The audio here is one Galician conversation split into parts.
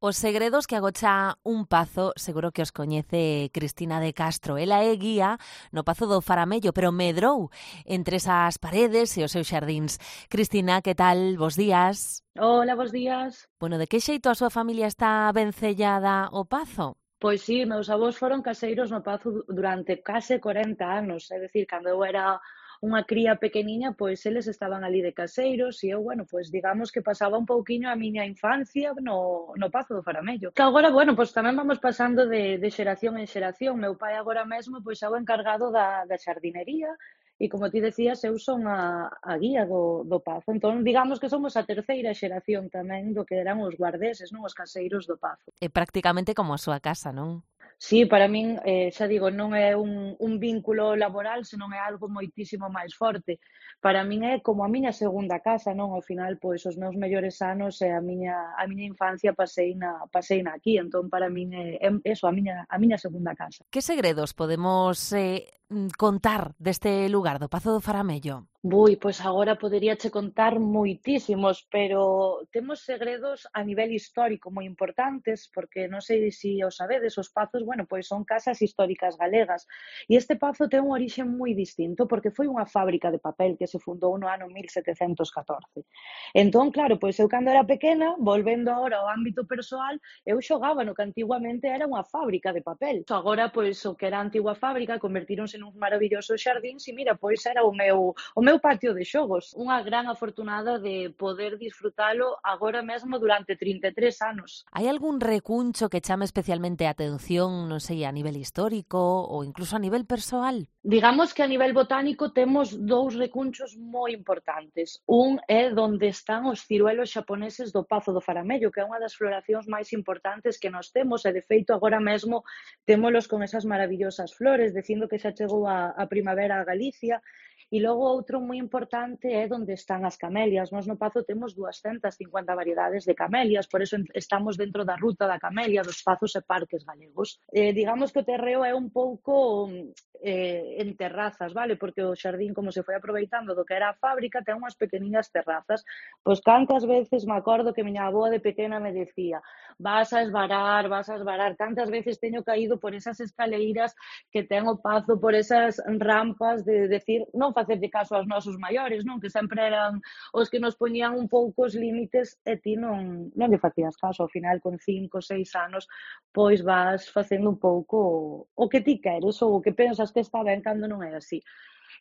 Os segredos que agocha un pazo seguro que os coñece Cristina de Castro. Ela é guía no Pazo do Faramello, pero medrou entre esas paredes e os seus xardíns. Cristina, que tal? Bos días. Hola, bos días. Bueno, de que xeito a súa familia está vencellada ao pazo? Pois sí, meus avós foron caseiros no Pazo durante case 40 anos, é dicir, cando eu era unha cría pequeniña, pois eles estaban ali de caseiros e eu, bueno, pois digamos que pasaba un pouquiño a miña infancia no Pazo do Faramello. Que agora, bueno, pois tamén vamos pasando de xeración en xeración. Meu pai agora mesmo, pois é o encargado da xardinería e, como ti decías, eu son a guía do Pazo. Entón, digamos que somos a terceira xeración tamén do que eran os guardeses, non, os caseiros do Pazo. É prácticamente como a súa casa, non? Sí, para min, xa digo, non é un vínculo laboral, senón é algo moitísimo máis forte. Para min é como a miña segunda casa, non? Ao final, pois, os meus mellores anos e a miña infancia paseina aquí, entón para min é eso, a miña segunda casa. Que segredos podemos contar deste lugar, do Pazo do Faramello? Bui, pois agora poderíache contar moitísimos, pero temos segredos a nivel histórico moi importantes, porque non sei se o sabedes, os pazos, bueno, pois son casas históricas galegas. E este pazo ten un orixe moi distinto, porque foi unha fábrica de papel que se fundou no ano 1714. Entón, claro, pois eu cando era pequena, volvendo agora ao ámbito persoal, eu xogaba no que antiguamente era unha fábrica de papel. Agora, pois, o que era a antigua fábrica convertíronse nuns maravillosos xardíns e mira, pois era o meu patio de xogos. Unha gran afortunada de poder disfrutalo agora mesmo durante 33 anos. Hai algún recuncho que chame especialmente a atención, non sei, a nivel histórico ou incluso a nivel persoal? Digamos que a nivel botánico temos dous recunchos moi importantes. Un é onde están os ciruelos xaponeses do Pazo do Faramello, que é unha das floracións máis importantes que nós temos e, de feito, agora mesmo témolos con esas maravillosas flores, dicindo que xa chegou a primavera a Galicia. E logo outro moi importante é onde están as camelias. Nós no Pazo temos 250 variedades de camelias, por eso estamos dentro da ruta da camelia, dos pazos e parques galegos. Digamos que o terreo é un pouco en terrazas, vale? Porque o xardín, como se foi aproveitando do que era a fábrica, ten unhas pequeniñas terrazas. Pois cantas veces me acordo que miña avoa de pequena me decía: vas a esvarar, vas a esvarar. Cantas veces teño caído por esas escaleiras que ten o Pazo, por esas rampas de decir, non facerlle caso aos nosos maiores, non? Que sempre eran os que nos poñían un pouco os límites e ti non lle facías caso. Ao final, con 5, 6 anos, pois vas facendo un pouco o que ti queres ou o que pensas que está ben cando non é así.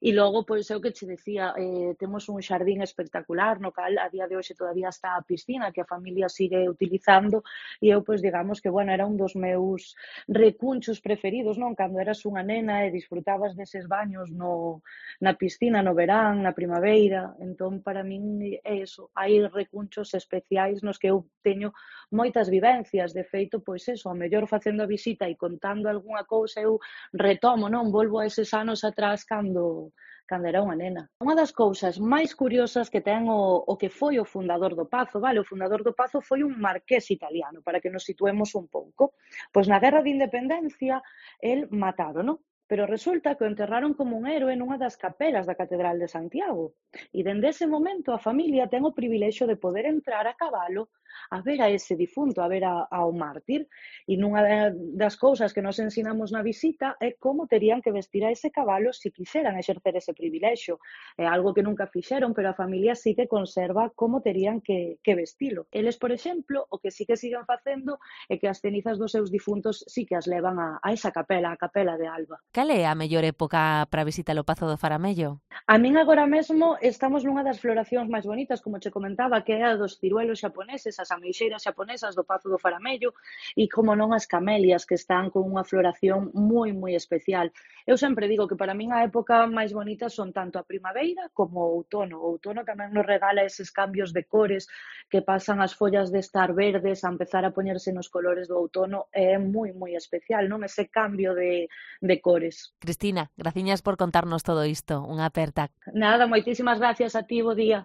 E logo, pois, é o que che decía, temos un xardín espectacular no cal a día de hoxe todavía está a piscina que a familia sigue utilizando e eu, pois, digamos que, bueno, era un dos meus recunchos preferidos, non? Cando eras unha nena e disfrutabas deses baños na piscina no verán, na primavera, entón, para min é eso, hai recunchos especiais nos que eu teño moitas vivencias, de feito, pois eso, ao mellor facendo a visita e contando algunha cousa eu retomo, non? Volvo a eses anos atrás cando era unha nena. Unha das cousas máis curiosas que ten o que foi o fundador do Pazo, vale? O fundador do Pazo foi un marqués italiano, para que nos situemos un pouco. Pois na Guerra de Independencia, el matárono, pero resulta que o enterraron como un héroe nunha das capelas da Catedral de Santiago. E dende ese momento a familia ten o privilexio de poder entrar a cabalo a ver a ese difunto, a ver ao mártir. E nunha das cousas que nos ensinamos na visita é como terían que vestir a ese cabalo se quixeran exercer ese privilexio. É algo que nunca fixeron, pero a familia sí que conserva como terían que vestilo. Eles, por exemplo, o que sí que siguen facendo é que as cenizas dos seus difuntos sí que as levan a esa capela, a capela de Alba. Cal é a mellor época para visitar o Pazo do Faramello? A min agora mesmo estamos nunha das floracións máis bonitas, como che comentaba, que é a dos ciruelos xaponeses, as ameixeiras xaponesas do Pazo do Faramello e, como non, as camelias, que están con unha floración moi, moi especial. Eu sempre digo que para min a época máis bonita son tanto a primavera como o outono. O outono tamén nos regala eses cambios de cores que pasan as follas de estar verdes a empezar a poñerse nos colores do outono e é moi, moi especial, non? Ese cambio de cores. Cristina, graciñas por contarnos todo isto. Unha aperta. Nada, moitísimas gracias a ti, bo día.